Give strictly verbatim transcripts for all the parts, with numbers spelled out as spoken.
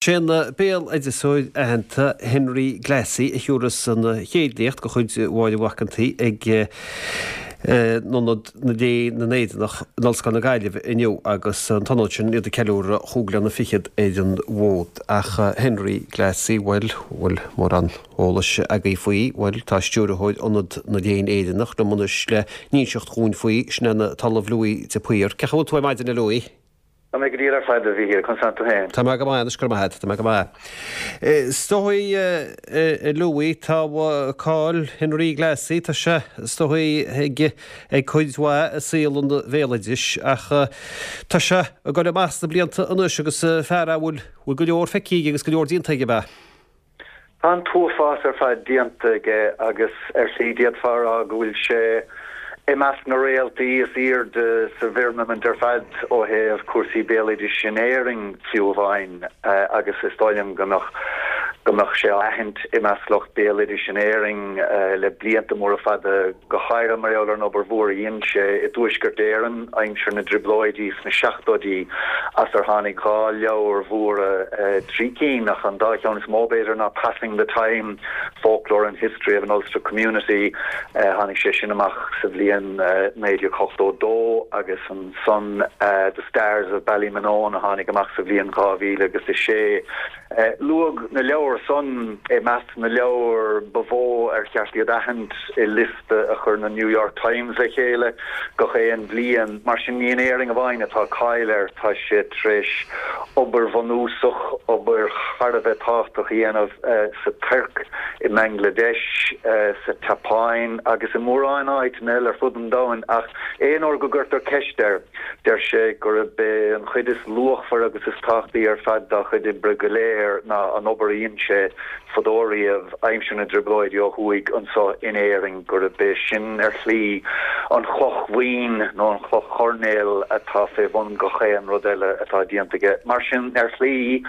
Sé an béaloideasóir aitheanta Henry Glassie a thiúrfas an chéad léacht de chuid Mháire Mhac an tSaoi ag Ionad Léann na nÉireannach in Ollscoil na Gaillimhe inniu agus an t-ionad sin iad ag ceiliúradh chúig bliana fichead ar an bhfód. Ach Henry Glassie, bhuel, bhfuil mórán eolais agaibh faoi, bhuel, tá stiúrthóir Ionad na Léann Éireannach liom anois le n-inseacht dhúinn faoi, sin é an tOllamh Louis de Paor. Cén chaoi a bhfuil tú ar maidin a Louis? Tá mé go diail ar fad a Mhíchíl, conas tánn tú féin? Tá mé go maith anois, go raibh maith agat, tá mé go maith. Is dóigh, a Louis, tá cáil Henry Glassie, tá sé, is dóigh, ag ag cuid mhaith i saol an bhéaloidis ach tá sé ag dul amach sna blianta anois agus fear a bhfuil bhfuil go leor feicthe aige agus go leor déanta aige, ab ea? Tá an t-uafás ar fad déanta aige agus ar shlí d'fhéadfá a rá go bhfuil sé i measc na réaltaí is airde sa bhfirmimint ar fad ó thaobh cúrsaí béaloidis in Éirinn fiú amháin agus is dóigh liom go mbeadh go mbeadh sé á aithint i measc lucht béaloidis in Éirinn le blianta móra fada go háirithe mar gheall ar an obair mhór a dhein sé i dTuaisceart Éireann aimsir na dTrioblóidí sna seachtóidí as ar tháinig dhá leabhar mhóra, trí cinn, ach an dá cheann is mó b'fhéidir ná Passing the Time, Folklore and History of an Ulster Community, tháinig sé sin amach sa bhliain naoi déag ochtó dó, agus ansan The Stars of Ballymenone a tháinig amach sa bhliain dhá mhíle agus a sé. Luadh na leabhair san i measc na leabhar ba mhó ar cheart iad aithint i liosta a chuir na New York Times le chéile gach aon bhliain. Mar sin ní in Éirinn amháin atá cáil air, tá sé tar éis obair bhunúsach, obair thar a bheith tábhachtach a dhéanamh sa Tuirc, i mBangladesh, sa tSeapáin agus i mórán áiteanna eile ar fud an domhain. Ach aon uair go gcuirtear ceist air, deir sé gurb é an chuid is luachmhaire agus is tábhachtaí ar fad dá chuid oibre go léir, air ná an obair a dhein sé fadó riamh aimsir na dTrioblóidí ó thuaidh anso in Éirinn, gurb é sin ar shlí an chloch bhuinn nó an chloch choirnéil atá fé bhun gach aon rud eile atá déanta aige. Mar sin, ar shlí,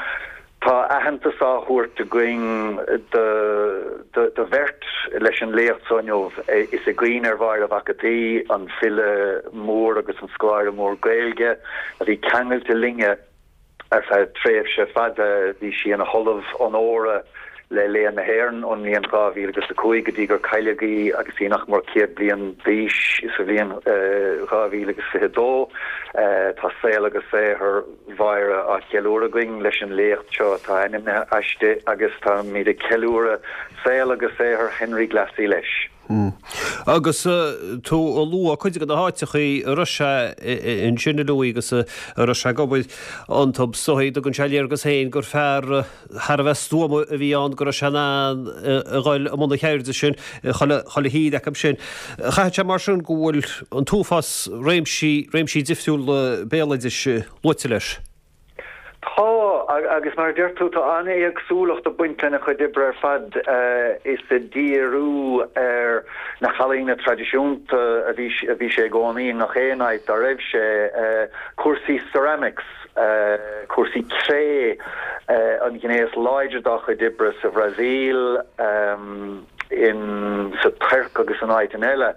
tá aitheantas á thabhairt againn do bheirt leis an léacht so inniu. Is i gcuimhne ar Mháire Mhac a' tSaoi, an file mór agus an scoláire mór Gaeilge a bhí ceangailte linne, Ar feadh tréimhse fada bhí sí ina hOllamh Onóra le Léann na hÉireann ón mbliain dhá mhíle agus a cúig go dtí gur cailleadh í agus í nach mór céad bliain d'aois sa bhliain dhá mhíle agus fiche dó. Tá saol agus saothar Mháire á cheiliúradh againn leis an léacht seo atá ainmnithe aisti agus táimid ag ceiliúradh saol agus saothar Henry Glassie leis. Agus tú ag lua cuid de na háiteachaí a raibh sé ansin a Louis agus a raibh sé ag obair iontu, is dóigh, tugann sé léargas féin gur fear thar a bheith stuama a bhí ann, go raibh sé in ann a dhul i mbun na ceirde sin chuile thír acu sin. Chaithfeadh sé mar sin go bhfuil an t-uafás réimsí, réimsí difriúla béaloidis luaite leis. Tá, agus mar a deir tú, tá an-éagsúlacht ag baint lena chuid oibre ar fad. Is ag díriú ar na healaíona traidisiúnta a bhí a bhí sé i gcónaí i ngach aon áit dá raibh sé, cúrsaí ceramics, cúrsaí cré, an ghné is láidre dá chuid oibre sa Bhrasaíl, in sa Tuirc agus in áiteanna eile,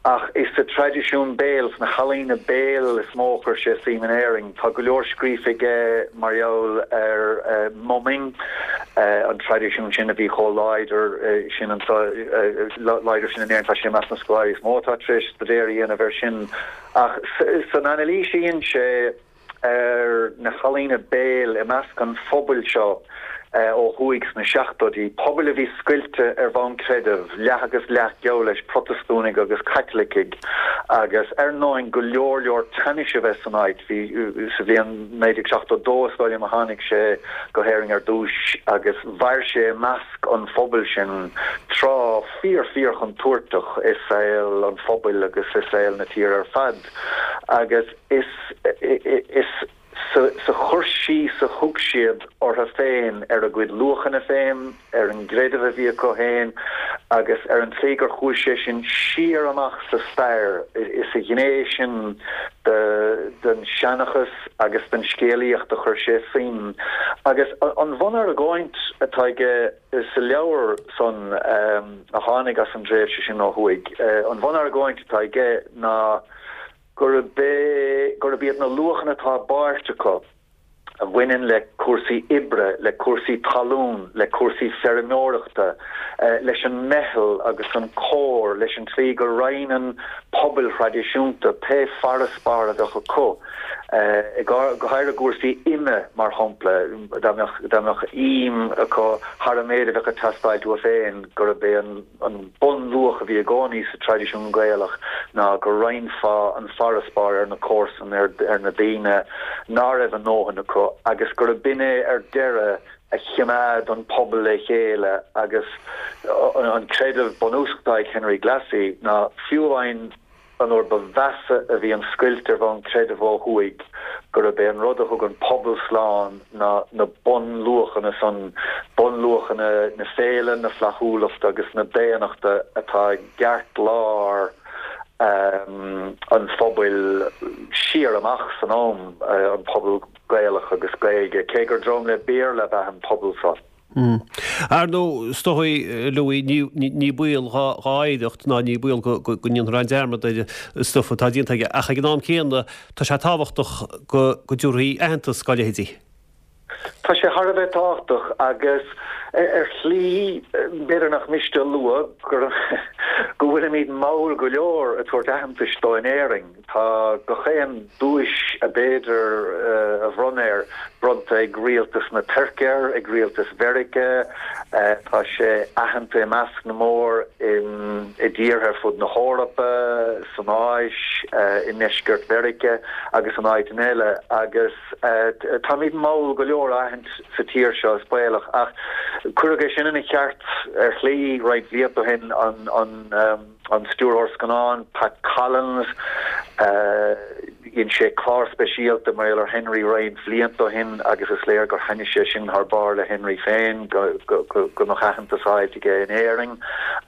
ach is sa traidisiún béil, sna healaíona béil is mó a chuir sé suim in Éirinn. Tá go leor scríofa aige mar gheall ar mumming, an traidisiún sin a bhí chomh láidir sin anso, láidir sin in Éirinn. Tá sé i measc na scoláirí is mó atá tar éis staidéar a dhéanamh air sin. Ach san anailís a dhein sé, ar na healaíona béil i measc an phobail seo ó thuaidh sna seachtóidí, pobail a bhí scoilte ar bhonn creidimh, leath agus leath geall leis, Protastúnaigh agus Caitlicigh, agus ar ndóigh go leor leor teannais a bheith san áit. Bhí, sa bhliain naoi déag seachtó dó is dóigh liom a tháinig sé go hÉirinn ar dtúis agus mhair sé i measc an phobail sin tráth fíor fíor chontúirteach i saol an phobail agus i saol na tíre ar fad. Agus is is sa chur síos a thug siad orthu féin, ar a gcuid luachanna féin, ar an gcreideamh a bhí acu féin agus ar an tslí gur chuaigh sé sin siar amach sa stair, is sa ghné sin den seanchas agus den scéalaíocht a chuir sé suim. Agus an bhunargóint atá aige sa leabhar san a tháinig as an dtréimhse sin ó thuaidh, an bhunargóint atá aige ná gurb é, gurb iad na luachanna atá i bpáirt acu a bhaineann le cúrsaí oibre, le cúrsaí talún, le cúrsaí feirmeoireachta, leis an meitheal agus an comhar, leis an tslí go roinneann pobail thraidisiúnta pé farasbarr a bheadh acu, go háirithe i gcúrsaí ime, mar shampla, dá mbeadh dá mbeadh im acu thar an méid a bheadh ag teastáilt uathu féin, gurb é an an bunluach a bhí i gcónaí sa traidisiún Gaelach ná go roinnfeá an farasbarr ar na comharsana, ar ar na daoine ná raibh a ndóthain acu agus gurb in é ar deireadh a chimeád an pobal le chéile agus an creideamh bunúsach atá ag Henry Glassie ná fiú amháin an uair ba mheasa a bhí an scoilt ar bhonn creidimh ó thuaidh gurb é an rud a thug an pobal slán ná na bunluachanna san, bunluachanna na féile, na flaithiúlachta agus na daonnachta atá i gceartlár an phobail siar amach san am, an pobal Gaelach agus Gaeilge, cé gur dream le Béarla ab ea an pobal seo. Ar ndóigh, is dóigh, Louis, ní baol dhá oidhreacht ná ní baol go ndéanfar aon dearmad ar an stuif atá déanta aige, ach ag an am céanna tá sé tábhachtach go dtabharfaí aitheantas dá leithéidí. Tá sé thar a bheith tábhachtach agus ar shlí, b'fhéidir nach miste a lua go bhfuilimid mall go leor ag tabhairt aitheantais dó in Éirinn. Tá gach aon duais ab fhéidir a bhronnadh air bronnta ag rialtas na Tuirce air, ag rialtas Mheiriceá, tá sé aitheanta i measc na mór i dtíortha ar fud na hEorpa, san Áis, i ndeisceart Mheiriceá agus in áiteanna eile agus táimid mall go leor á aithint sa tír seo, is baolach, ach cuireadh é sin ina cheart ar shlí roinnt blianta ó shin, an stiúrthóir scannán Pat Collins, dhein sé clár speisialta mar gheall ar Henry roinnt bhlianta ó shin agus is léir gur thaitnigh sé sin thar barr le Henry féin, go mbeadh aitheantas á fháilt aige in Éirinn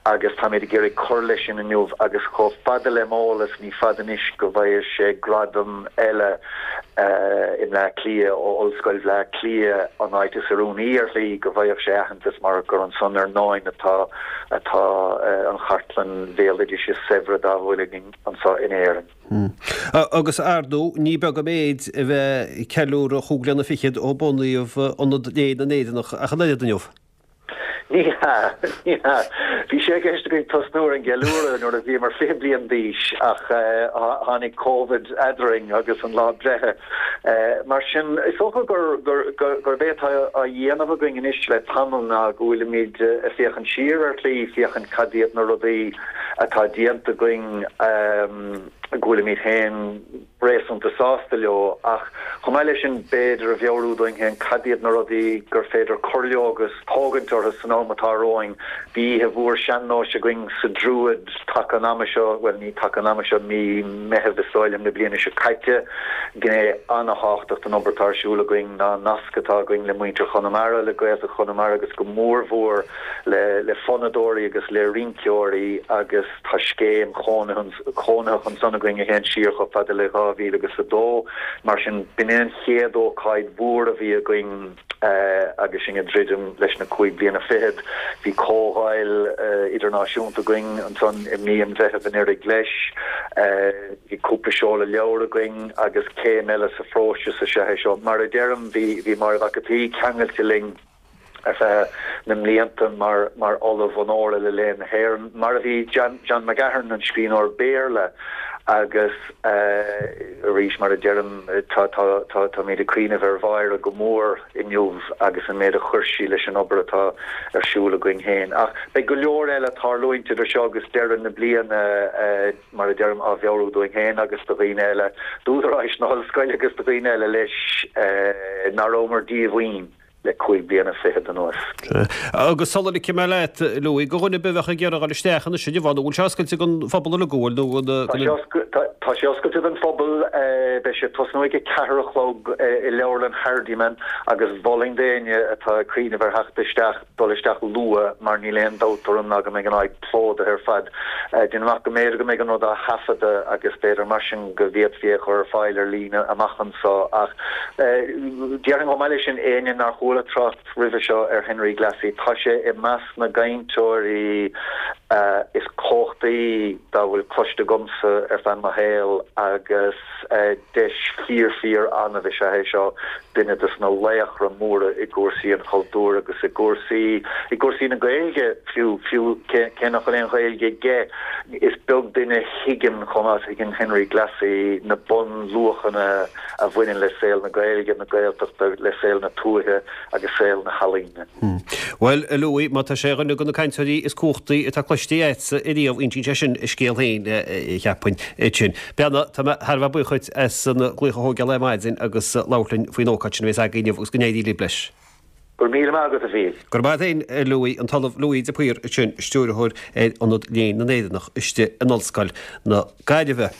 agus táimid ag iarraidh cur leis sin inniu agus chomh fada le m'eolas ní fada anois go bhfaighidh sé gradam eile i mBleá Cliath ó Ollscoil Bhleá Cliath, an áit is oiriúnaí ar shlí go bhfaigheadh sé aitheantas mar gur ansan ar ndóin atá atá an chartlann bhéaloidis is saibhre dá bhfuil againn anso in Éirinn. Agus ar ndóigh ní beag an méid a bheith ag ceiliúradh chúig bliana fichead ó bunaíodh Ionad Léinn na nÉireannach ach an oiread inniu. Ní hea, ní hea. Bhí sé i gceist againn tosnú ar an gceiliúradh nuair a bhíomar fiche bliain d'aois ach tháinig Covid eadrainn agus an lá breithe. Mar sin, is dócha gurb é atá á dhéanamh againn anois le tamall ná go bhfuilimid ag féachaint siar ar shlí, féachaint cad iad na rudaí atá déanta againn go bhfuilimid féin réasúnta sásta leo ach chomh maith leis sin b'fhéidir a mheabhrú dúinn féin cad iad na rudaí gur féidir cur leo agus tógaint orthu san am atá romhainn. Bhí oíche mhór sean-nóis againn sa Druid taca an ama seo, bhuel ní taca an ama seo, mí Meitheamh is dóigh liom na bliana seo caite. Gné an-thábhachtach den obair atá ar siúl againn ná an nasc atá againn le muintir Chonamara, le Gaeltacht Chonamara agus go mórmhór le le fonnadóirí agus le rinceoirí agus tá scéim chónaitheach ansan againn a théann siar chomh fada le dhá mhíle agus a dó. Mar sin, b'in é an chéad ócáid mhór a bhí againn agus sinn ag druidim leis na cúig bliana fichead. Bhí comhdháil idirnáisiúnta againn ansan i mí an Mheithimh anuraidh leis. Bhí cúpla seoladh leabhar againn agus céim eile sa phróiseas is ea é seo. Mar a deirim, bhí Máire Mhac an tSaoi ceangailte linn. ar feadh na mblianta mar mar Ollamh Onóra le Léann na hÉireann, mar a bhí John John McGahern, an scríbhneoir Béarla, agus arís, mar a deirim, tá tá tá táimid ag cuimhneamh ar Mháire go mór inniu agus an méid a chuir sí leis an obair atá ar siúl againn féin. Ach beidh go leor eile ag tarlúint idir seo agus deireadh na bliana, mar a deirim, á mheabhrú dúinn féin agus do dhaoine eile, d'údaráis na hollscoile agus do dhaoine eile leis, nach rabhamar díomhaoin. le cúig bliana fichead anuas. Agus sula ligfidh mé leat, Louis, do dhuine ar bith a bheadh ag iarraidh a dhul isteach anois inniu, an bhfuil sé oscailte don phobal uilig, an bhfuil, nó Tá Tá sé oscailte don phobal. Beidh sé ag tosnú ag a ceathair a chlog i Leabharlann Hardiman agus mholfainn d'éinne atá ag cuimhneamh ar theacht isteach dul isteach luath mar níl aon dabht orm ná go mbeidh an áit plódaithe ar fad. Déanaim amach go mb'fhéidir go mbeidh an rud á thaifeadadh agus b'fhéidir mar sin go bhféadfaí é a chur ar fáil ar líne amach anso ach déarfainn chomh maith leis sin éinne nár chuala trácht roimhe seo ar Henry Glassie tá sé i measc na gcainteoirí is cumhachtaí dá bhfuil cloiste agamsa ar feadh mo shaoil agus deis fíor fíor annamh is ea é seo duine des na laochra móra i gcúrsaí an chultúir agus i gcúrsaí i gcúrsaí na Gaeilge fiú fiú cé nach bhfuil aon Ghaeilge aige is beag duine a thuigeann chomh maith is a thuigeann Henry Glassie na bunluachanna a bhaineann le saol na Gaeilge na Gaeltachta le saol na tuaithe agus saol na healaíne. Bhuel, a Louis, má tá sé ar dhuine de na cainteoirí is cumhachtaí atá cloiste agatsa ariamh, insíonn sé sin a scéal féin, cheapfainn, sin. Beanna, tá mé thar a bheith buíoch dhuit as an glaoch a thógáil ar maidin agus labhairt linn faoin ócáid sin a bheas agaibh inniu agus go n-éirí libh leis. Go raibh míle maith agat, a Mhíl. Go raibh maith agat féin, a Louis, an tOllamh Louis de Paor ansin, Stiúrthóir ar Ionad Léann na nÉireannach istigh in Ollscoil na Gaillimhe.